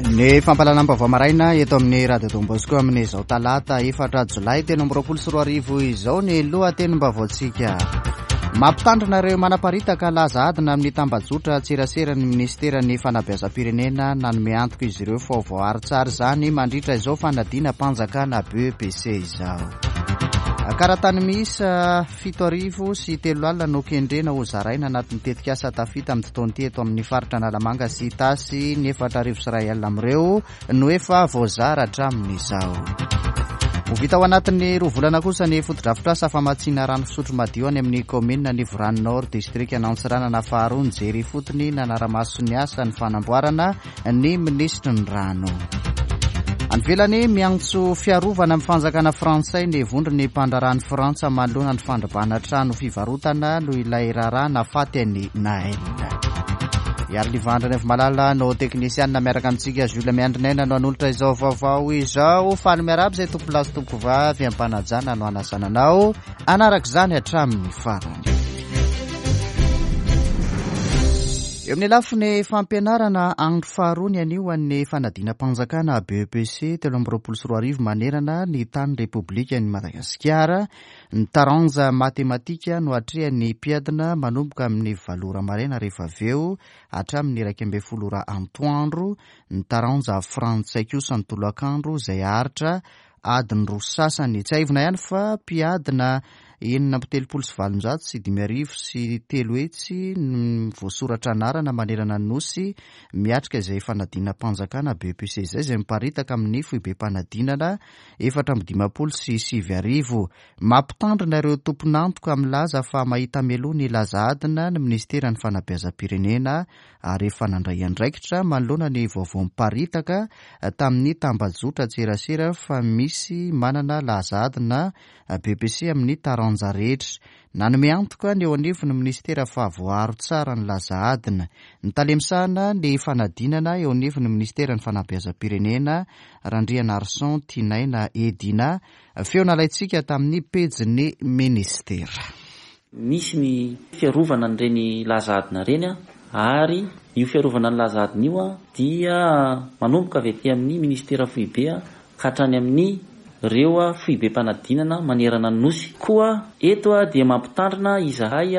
Ny fampahalalam-baovao maraina eto amin'ny Radio Don Bosco amin'izao talata 4 jolay 2023 izao ny lohatenim-baovaontsika. Mampitandrina ireo manaparitaka laza adina amin'ny tambajotra tserasera ny minisiteran'ny fanabeazam-pirenena. Nanome antoka izy ireo fa ho voaaro tsara izany mandritra izao fanadinam-panjakana BEPC izao. Karatany miisa 3007 no kendrena ho zaraina anatin'ny tetikasa Tafita amin'ity taona ity eto amin'ny faritra Analamanga sy Itasy. Ny 4100 amin'ireo no efa voazara hatramin'izao. Ho vita ao anatin'ny 2 volana kosa ny fotodrafitrasa famatsiana rano fisotro madio any amin'ny kaominina Anivorano Nord, distrikan'Antsiranana faharoa. Nijery ifotony nanara-maso ny asa ny fanamboarana ny minisitry ny rano. Any ivelany, miantso fiarovana amin'ny fanjakana frantsay ny vondron'ny mpandraharahan'i Frantsa manoloana ny fandrobana trano fivarotana noho ilay raharaha nahafaty an'i Nahel. Iariliva Andrianaivomalala no teknisianina miaraka amintsika. Jules Miandrinaina no hanolotra izao vaovao izao. Faly miarahaba izay tompolahy sy tompovavy am-panajana no hanasana anao hanaraka izany hatramin'ny farany. Eo amin'ny lafiny fampianarana, andro faharoa ny anio an'ny fanadinam-panjakana BEPC 2023 manerana ny tany Repoblikan'i Madagasikara. Ny taranja matematika no atrehan'ny mpiadina manomboka amin'ny 8 ora maraina rehefa avy eo hatramin'ny 11 ora antoandro, ny taranja frantsay kosa ny tolakandro izay haharitra adiny roa sasany. Tsiahivina ihany fa mpiadina 386 300 no voasoratra anarana manerana ny Nosy miatrika izay fanadinam-panjakana BEPC izay, izay miparitaka amin'ny foibem-panadinana 1054. Mampitandrina ireo tompon'antoka milaza fa mahita mialoha ny laza adina ny minisiteran'ny fanabeazam-pirenena ary efa nandray andraikitra manoloana ny vaovao miparitaka tamin'ny tambajotran-tserasera fa misy manana laza adina BEPC amin'ny taranja rehetra. Nanome antoka ny eo anivon'ny minisitera fa voaaro tsara ny laza adina. Ny tale misahana ny fanadinana eo anivon'ny minisiteran'ny fanabeazam-pirenena, Randrianarison Tianaina Edina, feo nalaintsika tamin'ny pejin'ny minisitera. Misy ny fiarovana an'ireny laza adina ireny ary io fiarovana ny laza adina io dia manomboka avy aty amin'ny minisitera foibe ka hatrany amin'ny ireo foibem-panadinana manerana ny Nosy. Koa eto dia mampitandrina izahay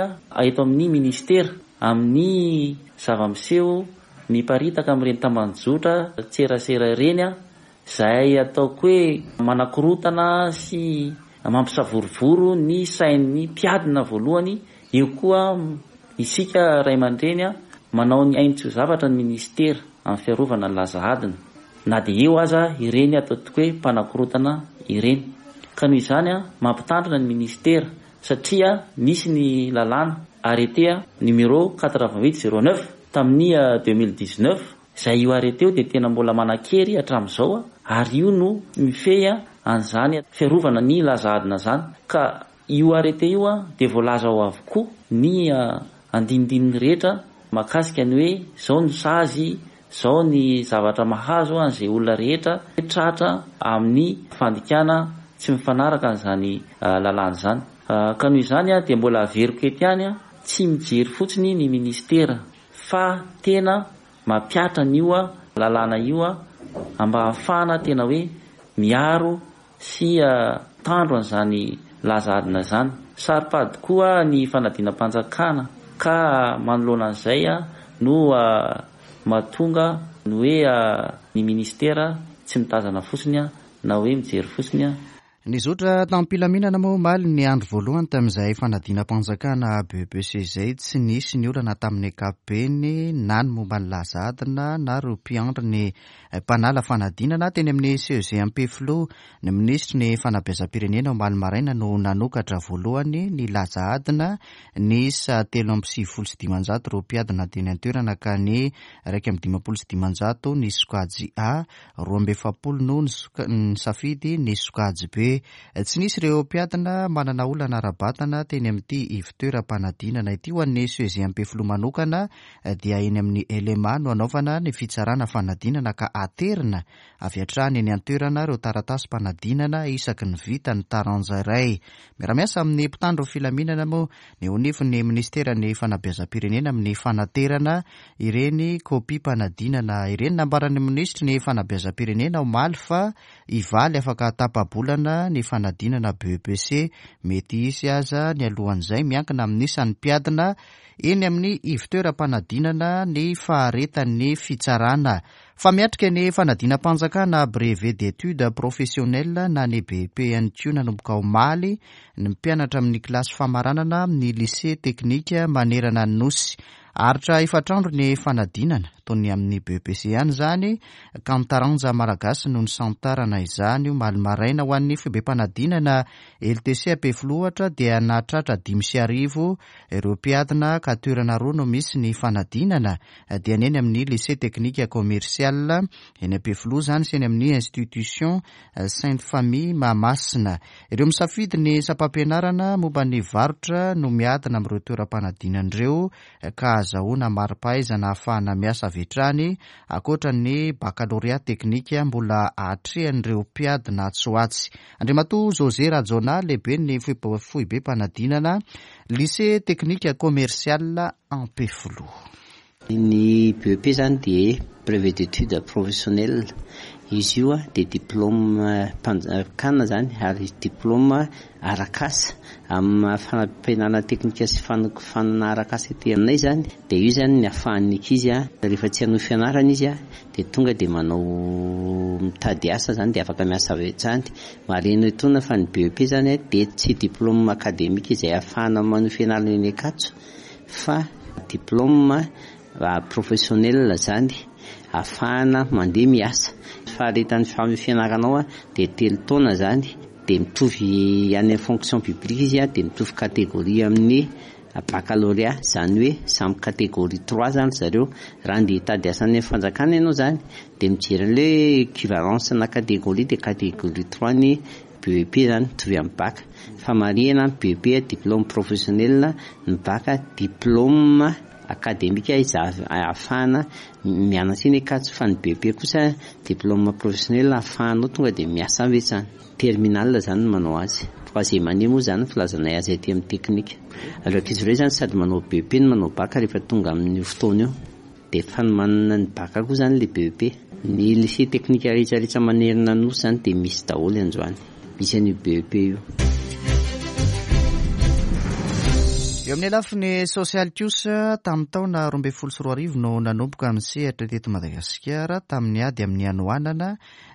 eto amin'ny minisitera amin'ny zava-miseho miparitaka amin'ireny tambajotra tserasera ireny Izay ataoko hoe manakorontana sy mampisavorovoro ny sain'ny mpiadina voalohany, eo koa isika ray aman-dreny manao ny ainy tsy ho zavatra ny minisitera amin'ny fiarovana ny laza adina, na dia eo aza ireny ataontsika hoe mpanakorontana ireny. Ka noho izany mampitandrina ny minisitera satria misy ny lalàna, arrêté numéro 88 09 tamin'ny 2019, Izay io arrêté io dia tena mbola manan-kery hatramin'izao ary io no mifehy an'izany fiarovana ny laza adina izany ka io arrêté io dia voalaza ao avokoa ny andinindininy rehetra mahakasika ny hoe izao no sazy, izao ny zavatra mahazo an'izay olona rehetra tratra amin'ny fandikana tsy mifanaraka an'izany lalàna izany. Ka noho izany dia mbola averiko eto ihany, tsy mijery fotsiny ny ministera fa tena mampihatra an'io lalàna io mba hahafahana tena hoe miaro sy mitandro an'izany laza adina izany. Saro-pady koa ny fanadinam-panjakana ka manoloana an'izay no mahatonga ny hoe ny ministera tsy mitazana fotsiny na hoe mijery fotsiny. Nizotra tamim-pilaminana moa omaly ny andro voalohany tamin'izay fanadinam-panjakana BEPC izay. Tsy nisy ny olana tamin'ny ankapobeny na ny momba ny laza adina na ireo mpiandry ny mpanala fanadinana teny amin'ny CEG Ampefiloha. Ny minisitry ny fanabeazam-pirenena omaly maraina no nanokatra voalohany ny laza adina niisa 593 ireo mpiadina teny an-toerana ka ny 551 ny sokajy A, 42 no nisafidy ny sokajy B. Tsy nisy ireo mpiadina manana olana ara-batana teny amin'ity ivontoeram-panadinana ity. Ho an'ny CEG Ampefiloha manokana dia eny amin'ny LMA no hanaovana ny fitsarana fanadinana ka aterina avy hatrany eny an-toerana ireo taratasim-panadinana isaky ny vita ny taranja iray. Miara-miasa amin'ny mpitandro filaminana moa ny eo anivon'ny minisiteran'ny fanabeazam-pirenena amin'ny fanaterana ireny kopiam-panadinana ireny. Nambaran'ny minisitry ny fanabeazam-pirenena omaly fa hivaly afaka tapa-bolana ny fanadinana BEPC. Mety hisy aza ny alohan'izay, miankina amin'ny isan'ny mpiadina eny amin'ny ivontoeram-panadinana ny faharetan'ny fitsarana. Fa miatrika ny fanadinam-panjakana Brevet d'études professionnelles na ny BEP ihany koa nanomboka omaly ny mpianatra amin'ny kilasy famaranana amin'ny lycée teknika manerana ny Nosy. Haharitra efatra andro ny fanadinana, toy ny amin'ny BEPC ihany izany, ka ny taranja malagasy no nisantarana izany omaly maraina. Ho an'ny foibem-panadinana LTC Ampefiloha ohatra dia nahatratra 1005 ireo mpiadina ka toerana roa no misy ny fanadinana dia ny eny amin'ny Lycée Technique Commercial eny Ampefiloha izany sy eny amin'ny Institution Sainte Famille Mahamasina. Ireo misafidy ny sampam-pianarana momba ny varotra no miadina amin'ireo toeram-panadinana ireo ka ahazahoana mari-pahaizana ahafahana miasa avy hatrany ankoatra ny bakalorea teknika mbola atrehan'ireo mpiadina atsy ho atsy. Andriamatoa José Rajaonah, lehiben'ny foibem-panadinana Lycée Technique Commercial Ampefiloha. Ny BEP izany dia Brevet d'études professionnelles. Izy io dia diplaomam-panjakana izany ary diplaoma arak'asa amin'ny fampianarana teknika sy fanofanana arak'asa ety aminay izany. Dia io izany ny ahafahan'ny ankizy rehefa tsy hanohy fianarana izy dia tonga dia manao mitady asa izany dia afaka miasa avy hatrany. Marihina etoana fa ny BEP izany dia tsy diplaoma akademika izay ahafahana manohy fianarana eny Ankatso fa diplaoma professionnel izany ahafahana mandeha miasa. Faharetan'ny fianaranao dia 3 taona izany dia mitovy any amin'ny fonction publique izy dia mitovy catégorie amin'ny baccalauréat, izany hoe samy catégorie 3 izany zareo. Raha andeha hitady asa any amin'ny fanjakana ianao izany dia mijery an'ilay équivalence na catégorie dia catégorie 3 ny BEP izany mitovy amin'ny bac. Fa marihina ny BEP diplôme professionnel, ny bac diplôme académique izay ahafahana mianatra eny Ankatso, fa ny BEP kosa diplôme professionnel ahafahanao tonga dia miasa avy hatrany. Terminal izany no manao azy. Troisième année moa izany ny filazanay azy aty amin'ny teknika. Ireo ankizy ireo izany sady manao BEP no manao bac rehefa tonga amin'io fotoana io. Dia fanomanana ny bac koa izany ilay BEP. Ny lycée teknika rehetra rehetra manerana ny Nosy izany dia misy daholo androany. Misy an'io BEP io. Eo amin'ny lafiny sosialy kosa, tamin'ny taona 2012 no nanomboka ny sehatra teto Madagasikara tamin'ny ady amin'ny hanoanana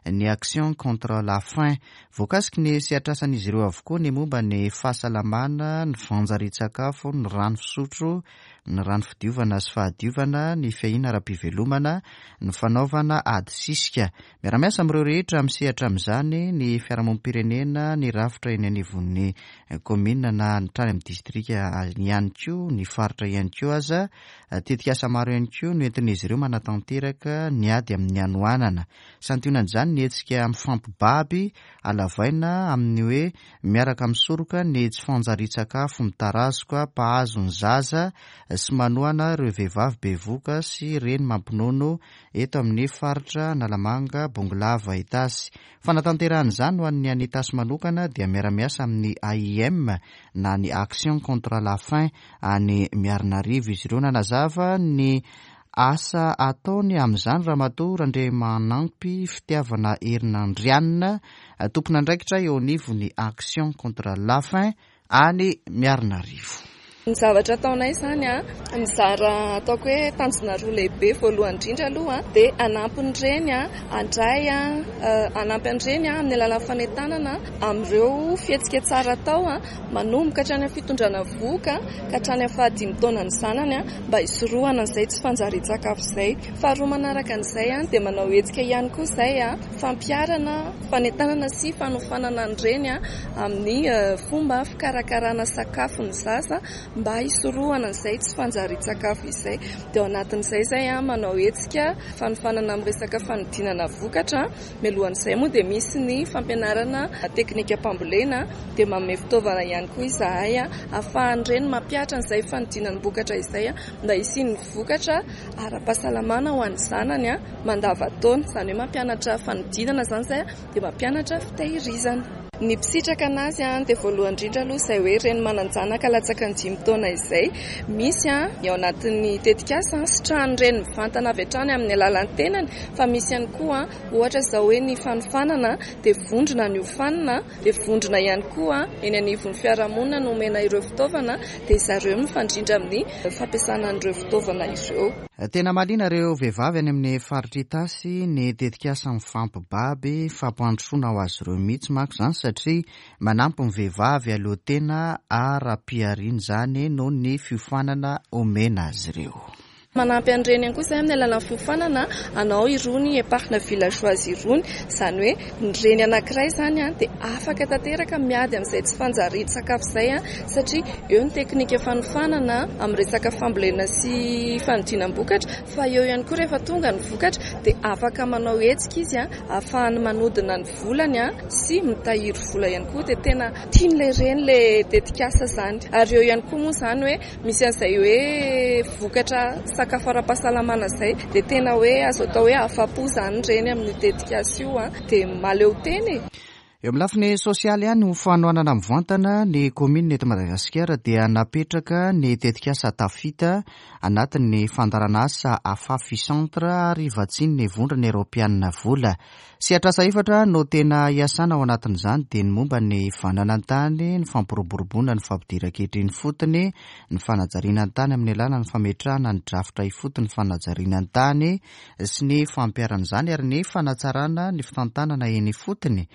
ny Action contre la faim. Voakasiky ny sehatr'asan'izy ireo avokoa ny momba ny fahasalamana, ny fanjarian-tsakafo, ny rano fisotro, ny rano fidiovana sy fahadiovana, ny fiahiana ara-pivelomana, ny fanaovana ady sisika. Miara-miasa amin'ireo rehetra misehatra amin'izany ny fiarahamonim-pirenena, ny rafitra eny anivon'ny kaominina na ny hatrany amin'ny distrika ihany koa, ny faritra ihany koa aza. Tetikasa maro ihany koa no entin'izy ireo manatanteraka ny ady amin'ny hanoanana. Santionan'izany ny hetsika mifampibaby halavaina amin'ny hoe miaraka misoroka ny tsy fanjarian-tsakafo mitarazoka mpahazo ny zaza sy manohana ireo vehivavy bevohoka sy reny mampinono eto amin'ny faritra Analamanga, Bongolava, Itasy. Fanatanterahana izany ho an'ny any Itasy manokana dia miara-miasa amin'ny AIM na ny Action contre la faim any Miarinarivo izy ireo. Nanazava ny asa ataony amin'izany Ramatoa Randriamanampy Fitiavana Herinandrianina, tompon'andraikitra eo anivon'ny Action contre la faim any Miarinarivo. Ny zavatra ataonay izany, mizara ataoko hoe tanjona roa lehibe. Voalohany indrindra aloha dia hanampy ny reny handray, hanampy ny reny amin'ny alalan'ny fanentanana amin'ireo fihetsika tsara atao manomboka hatrany amin'ny fitondrana vohoka ka hatrany amin'ny fahadimy taonan'ny zanany mba hisorohana an'izay tsy fanjarian-tsakafo izay. Faharoa manaraka an'izay dia manao hetsika ihany koa izay fampiharana fanentanana sy fanofanana ny reny amin'ny fomba fikarakarana sakafo ny zaza mba hisorohana an'izay tsy fanjarian-tsakafo izay. Dia ao anatin'izay izahay manao hetsika fanofanana amin'ny resaka fanodinana vokatra. Mialohan'izay moa dia misy ny fampianarana teknikam-pambolena, dia manome fitaovana ihany koa izahay ahafahan'ireny mampihatra an'izay fanodinam-bokatra izay mba hisian'ny vokatra ara-pahasalamana ho an'ny zanany mandavantaona. Izany hoe mampianatra fanodinana izany izahay dia mampianatra fitehirizana. Ny mpisitraka anazy dia voalohany indrindra aloha izay hoe reny manan-janaka latsaka ny 5 taona izay. Misy ny ao anatin'ny tetikasa sitrahan'ny reny mivantana avy hatrany amin'ny alalan'ny tenany, fa misy ihany koa ohatra izao hoe ny fanofanana dia vondrona ny ofanina, dia vondrona ihany koa eny anivon'ny fiarahamonina no omena ireo fitaovana, dia zareo mifandrindra amin'ny fampiasana an'ireo fitaovana ireo. Tena mahaliana ireo vehivavy any amin'ny faritra Itasy ny tetikasa Mifampibaby, fampandrosoana ho azy ireo mihitsy manko izany satria manampy ny vehivavy hahaleo tena ara-pihariana izany noho ny fiofanana omena azy ireo. Manampy an'ireny ihany koa izahay amin'ny alalan'ny fiofanana hanao irony épargne villageoise irony, izany hoe ny reny anankiray izany dia afaka tanteraka miady amin'izay tsy fanjarian-tsakafo izay satria eo ny teknika fanofanana amin'ny resaka fambolena sy fanodinam-bokatra fa eo ihany koa rehefa tonga ny vokatra dia afaka manao hetsika izy ahafahany manodina ny volany sy mitahiry vola ihany koa dia tena tian'ilay reny ilay tetikasa izany ary eo ihany koa moa izany hoe misy an'izay hoe vokatra sakafo ara-pahasalamana izay dia tena hoe azo atao hoe afa-po izany ireny amin'io tetikasa io dia mahaleo tena e. Eo amin'ny lafiny sosialy ihany, ho fanohanana mivantana ny kaominina eto Madagasikara dia napetraka ny tetikasa Tafita anatin'ny fandaharanasa Afafi Centre ary vatsian'ny Vondrona Eoropeanina vola. Sehatr'asa efatra no tena iasana ao anatin'izany dia ny momba ny fananan-tany, ny fampiroboroboana ny fampidiran-ketra eny ifotony, ny fanajariana ny tany amin'ny alalan'ny fametrahana ny drafitra ifotony fanajariana ny tany sy ny fampiharana izany ary ny fanatsarana ny fitantanana eny ifotony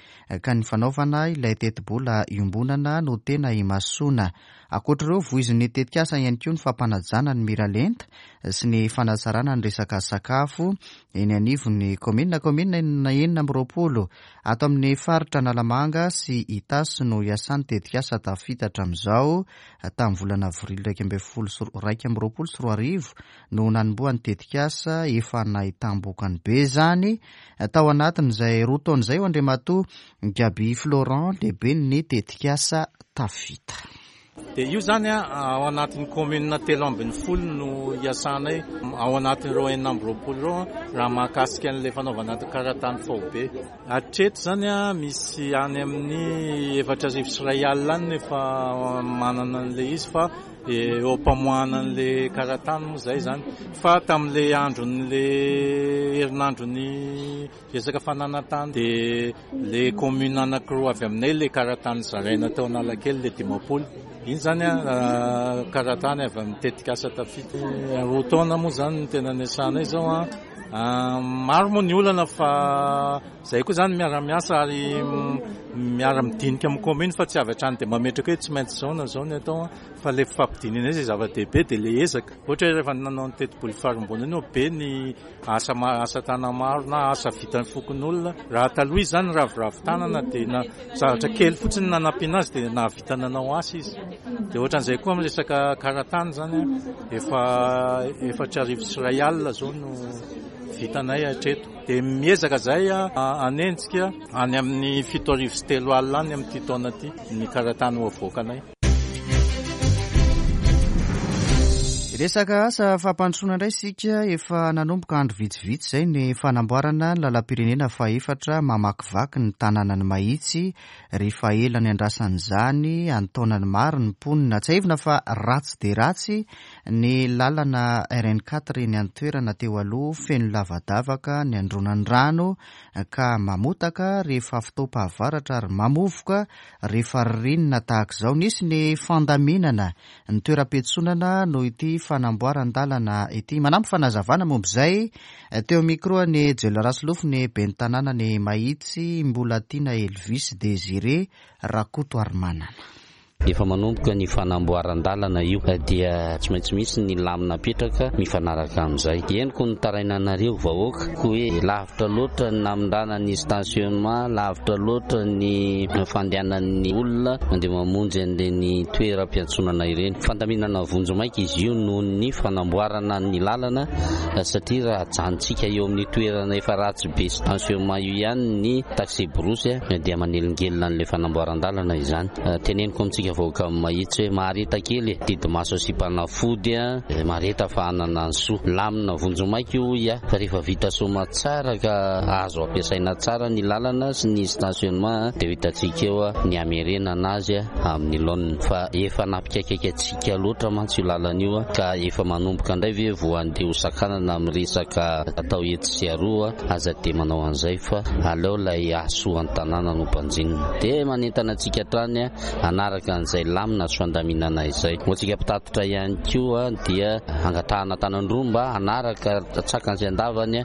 ka ny fanaovana ilay tetibola iombonana no tena imasoana. Ankoatra ireo, voizin'ny tetikasa ihany koa ny fampanajana ny miralenta sy ny fanatsarana ny resaka sakafo eny anivon'ny kaominina. Kaominina 26 ato amin'ny faritra Analamanga sy Itasy no iasan'ny tetikasa tafita hatramin'izao. Tamin'ny volana avrily 2021 no nanombohan'ny tetikasa, efa nahitam-bokany be izany tao anatin'izay 2 taona izay, ho Andriamatoa Gaby Florent, lehiben'ny tetikasa Tafita. Dia io izany ao anatin'ny commune 13 no iasanay ao anatin'ireo 26 ireo raha mahakasika an'ilay fanaovana karatany faobe. Hatreto izany misy any amin'ny 1040 any no efa manana an'ilay izy fa eo am-pamoahana an'ilay karatany moa izay izany. Fa tamin'ilay andron'ilay herinandron'ny resaka fananan-tany dia ilay commune anankiroa avy aminay ilay karatany zaraina tao Analakely ilay 50. Iny izany karatany avy amin'ny tetikasa Tafita. 2 taona moa izany no tena niasanay izao an. Maro moa ny olana fa izay koa izany miara-miasa ary miara-midinika amin'ny commune fa tsy avy hatrany dia mametraka hoe tsy maintsy izao na izao ny atao fa ilay fifampidinihana izay zava-dehibe dia ilay ezaka. Ohatra hoe rehefa nanao ny tetibola ifarimbona iny be ny asa asa tana-maro na asa vitan'ny fokonolona. Raha taloha izy izany raviravy tanana dia na zavatra kely fotsiny nanampiana azy dia nahavita nanao asa izy. Dia ohatran'izay koa amin'ny resaka karatany izany, efa 1040 izao no vitanay hatreto. Dia miezaka izahay hanenjika any amin'ny 3007 any amin'ity taona ity ny karatany ho avoakanay. Resaka asa fampandrosoana indray isika. Efa nanomboka andro vitsivitsy izay ny fanamboarana ny lalam-pirenena fahefatra mamakivaky ny tanànan'i Mahitsy rehefa ela niandrasan'izany an-taonany maro ny mponina. Tsiahivina fa ratsy dia ratsy ny lalana RN quatre eny an-toerana teo aloha, feno lavadavaka ny andronan'ny rano ka mamotaka rehefa fotoam-pahavaratra ary mamovoka Rehefa ririnina tahaka izao, nisy ny fandaminana ny toeram-piantsonana noho ity fanamboaran-dalana ity. Manampy fanazavana momba izay, teo amin'ny micro an'i Jela Rasolofo ny ben'ny tanànan'i Mahitsy, Mbolatiana Elvis Désiré Rakotoarimanana. Efa manomboka ny fanamboaran-dalana io dia tsy maintsy misy ny lamina apetraka mifanaraka amin'izay. Henoko ny tarainanareo vahoaka hoe lavitra loatra ny namindrana ny stationnement, lavitra loatra ny fandehanan'ny olona mandeha mamonjy an'ireny toeram-piantsonana ireny. Fandaminana vonjimaika izy io noho ny fanamboarana ny lalana satria raha ajanontsika eo amin'ny toerana efa ratsy be stationnement io ihany ny taxi-brousse dia manelingelina an'ilay fanamboaran-dalana izany. Teneniko amintsika vahoaka mahitsy hoe mahareta kely e, didimaso asiam-panafody a, mahareta fa hanana ny soa. Lamina vonjimaika io hoy aho fa rehefa vita soamatsara ka azo ampiasaina tsara ny lalana sy ny stationnement dia ho hitantsika eo ny hamerenana azy amin'ny laoniny. Fa efa nampikaikaika antsika loatra mantsy io lalana io ka efa manomboka indray ve vao handeha ho sakanana amin'ny resaka atao etsy sy aroa. Aza dia manao an'izay fa aleo ilay hahasoa ny tanàna no banjinina. Dia manentana antsika hatrany hanaraka an'izay lamina sy fandaminana izay. Ho antsika mpitatitra ihany koa dia angatahana tanan-droa mba hanaraka an-tsakany sy an-davany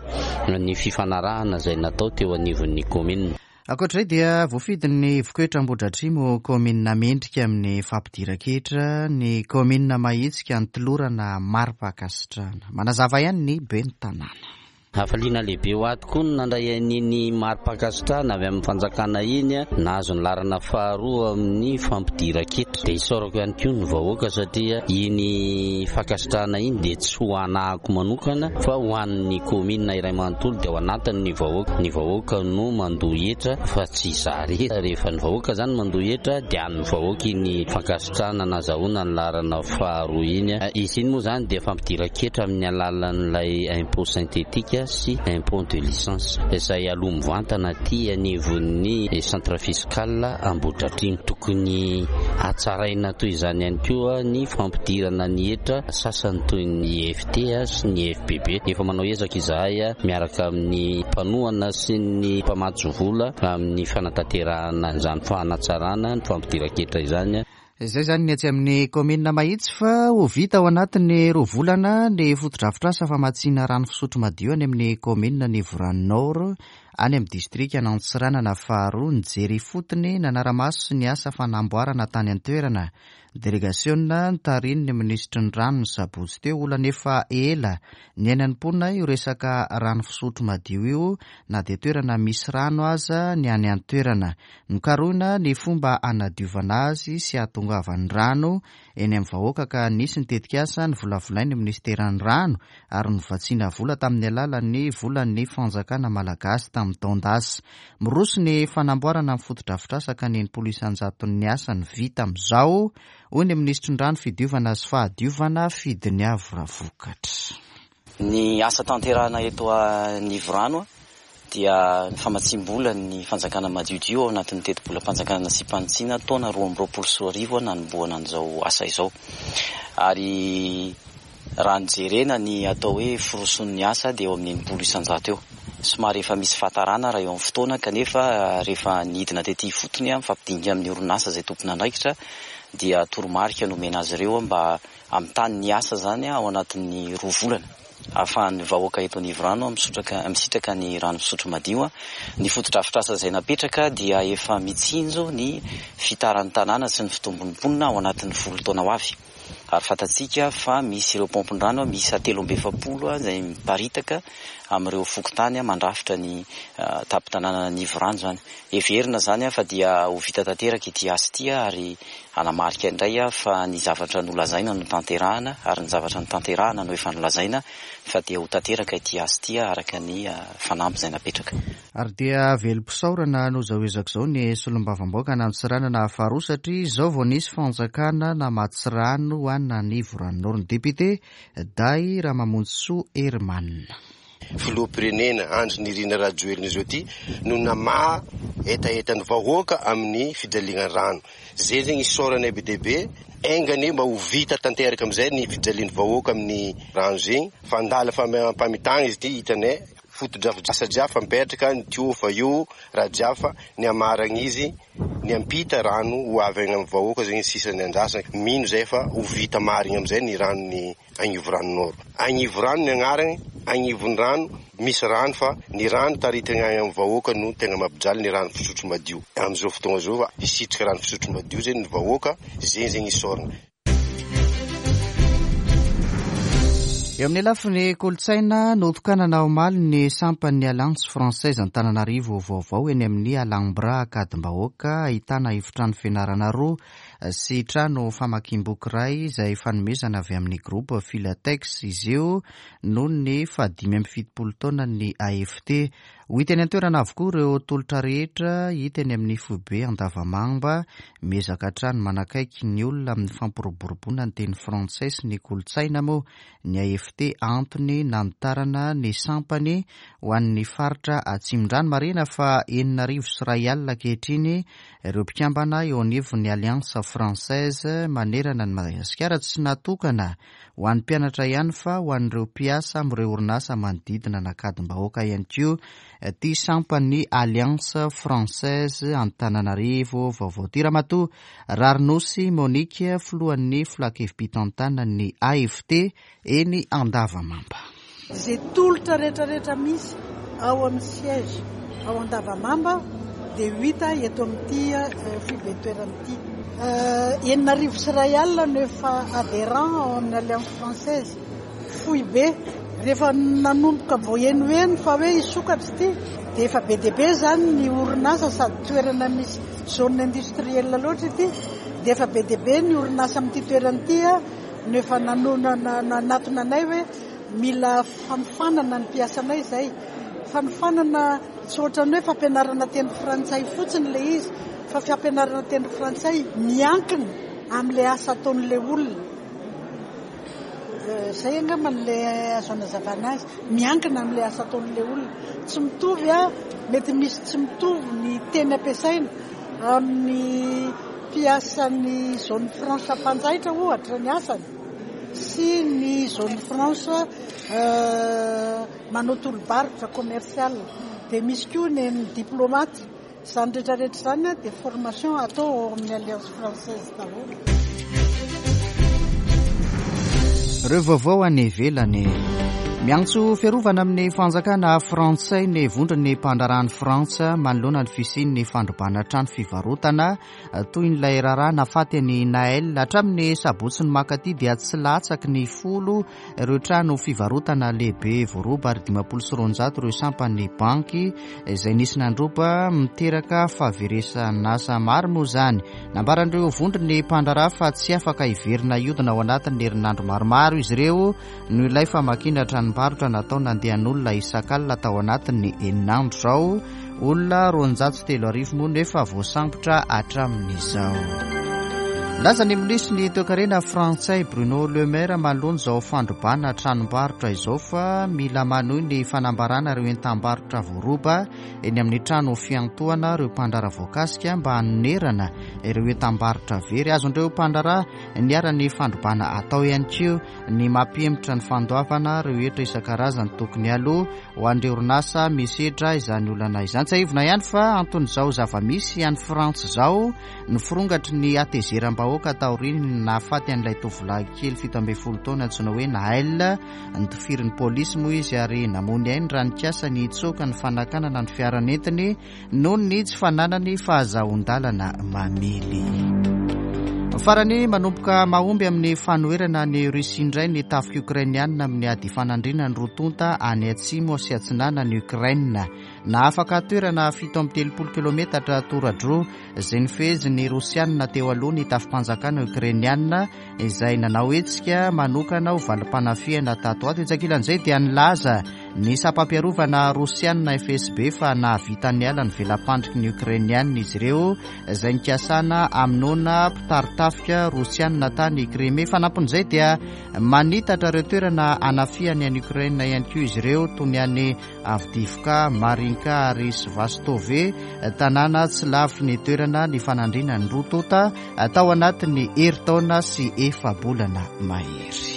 ny fifanarahana izay natao teo anivon'ny kaominina. Ankoatra izay dia voafidin'ny Vokoetra Ambohidratrimo ho kaominina mendrika amin'ny fampidiran-ketra ny kaominina Mahitsy ka notolorana mari-pankasitrahana. Manazava ihany ny ben'ny tanàna. Hafaliana lehibe ho ahy tokoa ny nandray an'iny mari-pankasitrahana avy amin'ny fanjakana iny, nahazo ny laharana faharoa amin'ny fampidiran-ketra. Dia isaorako ihany koa ny vahoaka satria iny fankasitrahana iny dia tsy ho anahako manokana fa ho an'ny kaominina iray manontolo dia ao anatiny ny vahoaka. Ny vahoaka no mandoa hetra fa tsy izaho irery. Rehefa ny vahoaka izany mandoa hetra dia an'ny vahoaka iny fankasitrahana nazahoana ny laharana faharoa iny. Izy iny moa izany dia fampidiran-ketra amin'ny alalan'ilay impôt synthétique sy impôt de licence izay aloa mivantana aty anivon'ny centre fiscal Ambohidratrimo. Tokony hatsaraina toy izany ihany koa ny fampidirana ny hetra sasany toy ny IFT sy ny FBB. Efa manao ezaka izahay miaraka amin'ny mpanohana sy ny mpamatsy vola amin'ny fanatanterahana izany fanatsarana ny fampidiran-ketra izany. Izay izany ny etsy amin'ny kaominina Mahitsy fa ho vita ao anatin'ny roa volana ny fotodrafitrasa famatsiana rano fisotro madio any amin'ny kaominina Nivorano Nord any amin'ny distrikan'Antsiranana faharoa. Nijery ifotony nanara-maso ny asa fanamboarana tany an-toerana Delegasiona notarihin'ny minisitry ny rano ny sabotsy teo. Olana efa ela niainan'ny mponina io resaka rano fisotro madio io na dia toerana misy rano aza ny any an-toerana. Nokarohina ny fomba hanadiovana azy sy hahatongavan'ny rano eny amin'ny vahoaka ka nisy ny tetikasa novolavolain'ny minisiteran'ny rano ary novatsiana vola tamin'ny alalan'ny volan'ny fanjakana malagasy tamin'ny taon-dasa. Miroso ny fanamboarana ny fotodrafitrasa ka ny 60 isan-jaton'ny asa no vita amin'izao, hoy ny minisitry ny rano, fidiovana sy fahadiovana, Fidiniavo Ravokatra. Ny asa tanterahina eto Anivorano dia ny famatsiam-bola ny fanjakana madiodio ao anatin'ny tetibolam-panjakana nasiam-panitsiana taona 2022 nanombohana an'izao asa izao. Ary raha ny jerena ny atao hoe firosoan'ny asa dia eo amin'ny 60% eo. Somary efa misy fahatarana raha eo amin'ny fotoana kanefa rehefa nidina tety ifotony mifampidinika amin'ny orinasa izay tompon'andraikitra dia toromarika nomena azy ireo mba hamitany ny asa izany ao anatin'ny roa volana ahafahan'ny vahoaka eto Anivorano misotraka misitraka ny rano fisotro madio. Ny fotodrafitrasa izay napetraka dia efa mitsinjo ny fitaran'ny tanàna sy ny fitombon'ny mponina ao anatin'ny folo taona ho avy. Ary fantatsika fa misy ireo paompin-drano miisa 43 izay miparitaka amin'ireo fokontany mandrafitra ny tampon-tanànan'Anivorano izany. Heverina izany fa dia ho vita tanteraka ity asa ity ary hanamarika indray fa ny zavatra nolazaina no tanterahana ary ny zavatra notanterahana no efa nolazaina fa dia ho tanteraka ity asa ity araka ny fanamby izay napetraka. Ary dia velom-pisaorana noho izao ezaka izao ny solombavambahoakan'Antsiranana faharoa satria izao vao nisy fanjakana namatsy rano ho an'Anivoranoro. Ny député Dahy Ramamonjisoa Herman. Filoham-pirenena Andry Nirina Rajoelina izao ity no namaha hetahetan'ny vahoaka amin'ny fijaliana rano. Izay zegny isaoranay be dia be, enga anie mba ho vita tanteraka amin'izay ny fijalian'ny vahoaka amin'ny rano zegny fa andala famitagna izy ity hitanay. Fotodrafitrasa jiaby fa mipetraka ny tuyau fa io raha jiaby fa ny hamaragna izy ny hampita rano ho avy agny amin'ny vahoaka zegny sisa ny andrasana mino zay fa ho vita marigny amizay ny ranon'ny Agnivorano Nord. Agnivorano ny agnaragny agnivon'ny rano, misy rano fa ny rano taritina agny amin'ny vahoaka no tegna mampijaly ny rano fisotro madio. Amin'izao fotoagna zao fa hisitrika rano fisotro madio zegny ny vahoaka, zegny zegny isaorana. Eo amin'ny lafiny kolontsaina, notokanana omaly ny sampan'ny Alliance Française Antananarivo vaovao eny amin'ny Alhambra Ankadimbahoaka, ahitana efitrano fianarana roa sy trano famakiam-boky iray izay fanomezana avy amin'ny Groupe Filatex izy io noho ny fahadimy amby fitopolo taonan'ny AFT. Ho hita eny an-toerana avokoa ireo tolotra rehetra hita eny amin'ny foibe Andavamamba. Miezaka hatrany manakaiky ny olona amin'ny fampiroboroboana ny teny frantsay sy ny kolontsaina moa ny AFT, antony nanitarana ny sampany ho an'ny faritra Atsimondrano. Marihina fa 2100 ankehitriny ireo mpikambana eo anivon'ny Alliance Française manerana an'i Madagasikara. Tsy natokana ho an'ny mpianatra ihany fa ho an'ireo mpiasa amin'ireo orinasa manodidina an'Ankadimbahoaka ihany koa ity sampan'ny Alliance Française Antananarivo vaovao ity. Ramatoa Rarinosy Monique, filohan'ny filankevi-pitantanan'ny AFT eny Andavamamba. Izay tolotra rehetrarehetra misy ao amin'ny siège ao Andavamamba dia ho hita eto amin'ity foiben-toerana ity. 1066 no efa adhérent ao amin'ny Alliance Française foibe. Rehefa nanomboka vao henoheno fa hoe hisokatra ity dia efa be dia be izany ny orinasa sady toerana misy zone industrielle loatra ity dia efa be dia be ny orinasa amin'ity toerana ity no efa nanatona anay hoe mila fanofanana ny mpiasanay izay. Fanofanana tsy ohatran'ny hoe fampianarana teny frantsay fotsiny ilay izy fa fampianarana teny frantsay miankina amin'ilay asa ataon'ilay olona. Izay angamba ilay azo anazavana azy, miankina amin'ilay asa ataon'ilay olona. Tsy mitovy, mety misy tsy mitovy ny teny ampiasaina amin'ny mpiasan'ny zone franche mpanjaitra ohatra ny asany sy ny zone franche manao tolo-barotra commercial. Dia misy koa ny an'ny diplomate. Izany rehetra rehetra izany dia formation atao ao amin'ny Alliance Française daholo. Ireo vaovao any ivelany. Miantso fiarovana amin'ny fanjakana frantsay ny vondron'ny mpandraharahan'i Frantsa manoloana ny fisian'ny fandrobana trano fivarotana toy ny ilay raharaha nafaty an'i Naël. Hatramin'ny sabotsy ny mankaty dia tsy latsaky ny 10 ireo trano fivarotana lehibe voaroba ary 250 ireo sampan'ny banky izay nisy nandroba, miteraka fahaveresan'asa maro moa izany. Nambaran'ireo vondron'ny mpandraharaha fa tsy afaka hiverina hiodina ao anatin'ny herinandro maromaro izy ireo noho ilay famakiana tranombarotra natao nandehan'olona isak'alina tao anatin'ny enina andro izao. Olona 3200 moa no efa voasambotra hatramin'izao. Nilaza ny minisitry ny toekarena frantsay Bruno Le Maire manoloana izao fandrobana tranombarotra izao fa mila manohy ny fanambarana ireo entam-barotra voaroba eny amin'ny trano fiantohana ireo mpandraharaha voakasika mba hanonerana ireo entam-barotra very. Azon'ireo mpandraharaha niharan'ny fandrobana atao ihany koa ny mampihemotra ny fandoavana ireo hetra isan-karazany tokony haloa ho an'ireo orinasa misedra izany olana izany. Tsiahivina ihany fa anton'izao zava-misy any Frantsa izao ny firongatry ny hatezeram-bahoaka taorian'ny nahafaty an'ilay tovolahy kely 17 taona antsoina hoe Naël. Notifirin'ny polisy moa izy ary namoy ny ainy raha nikasa ny hitsoaka ny fanakanana ny fiara nentiny noho ny tsy fananany fahazahoan-dalana mamily. Farany, manomboka mahomby amin'ny fanoherana an'i Russie indray ny tafika Ukrainiana amin'ny ady ifanandrinan'ny roa tonta any atsimo sy atsinanan'i Ukraine. Nahafaka toerana 37 kilometatra toradroa izay nifehezin'ny Rosiana teo aloha ny tafi-panjakana Ukrainiana izay nanao hetsika manokana ho valim-panafihana tato ato. Etsy ankilan'izay dia nilaza ny sampam-piarovana Rosiana FSB fa nahavita niala ny vela-pandriky ny Ukrainiana izy ireo izay nikasana hamonoana mpitari-tafika Rosiana tany Crimée. Fanampin'izay dia manitatra ireo toerana hanafihany an'i Ukraine ihany koa izy ireo toy ny any Avdiivka, Marinka ary Svastove, tanàna tsy lavitry ny toerana nifanandrinan'ny roa tonta tao anatin'ny herintaona sy efa-bolana mahery.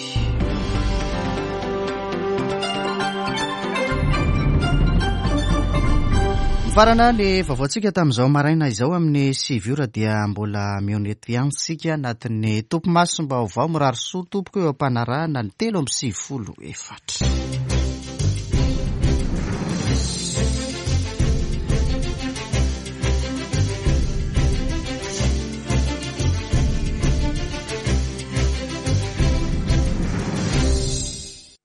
Mifarana ny vaovaontsika tamin'izao maraina izao amin'ny 9 ora dia mbola mihaona eto ihany isika anatin'ny topimasom-baovao. Mirary soa tompoko eo am-panarahana ny 94.